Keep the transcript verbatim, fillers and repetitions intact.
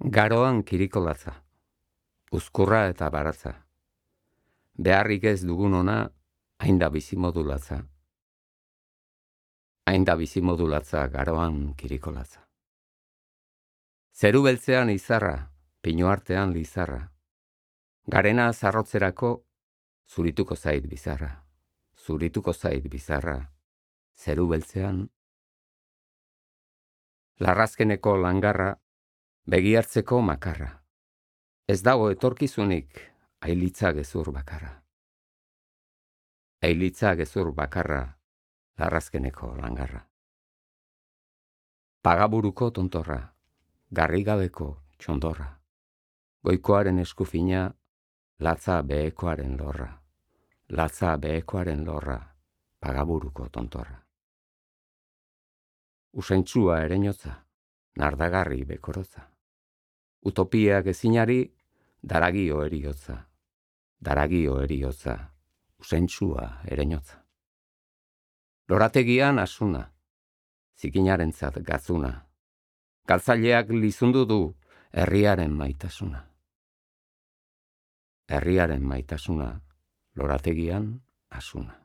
Garoan kirikolatza, uzkurra eta baratza. Beharrik ez dugun ona, hainda bizimodulatza. Hainda bizimodulatza garoan kirikolatza. Zeru beltzean izarra, pinu artean lizarra. Garena zarrotzerako, zurituko zait bizarra. Zurituko zait bizarra, zeru beltzean. Larrazkeneko langarra, begiartzeko makarra. Ez dago etorkizunik, ailitza gezur bakarra. Ailitza gezur bakarra, larrazkeneko langarra. Pagaburuko tontorra, garrigabeko txondorra. Goikoaren eskufina, latza behekoaren lorra. Latza behekoaren lorra, pagaburuko tontorra. Usaintzua ereñotza, nardagarri bekorotza. Utopiak ezinari, daragio eriotza. Daragio eriotza, usaintzua ereñotza. Lorategian asuna, zikinarentzat gazuna. Galtzaileak lizundu du herriaren maitasuna. Herriaren maitasuna, lorategian asuna.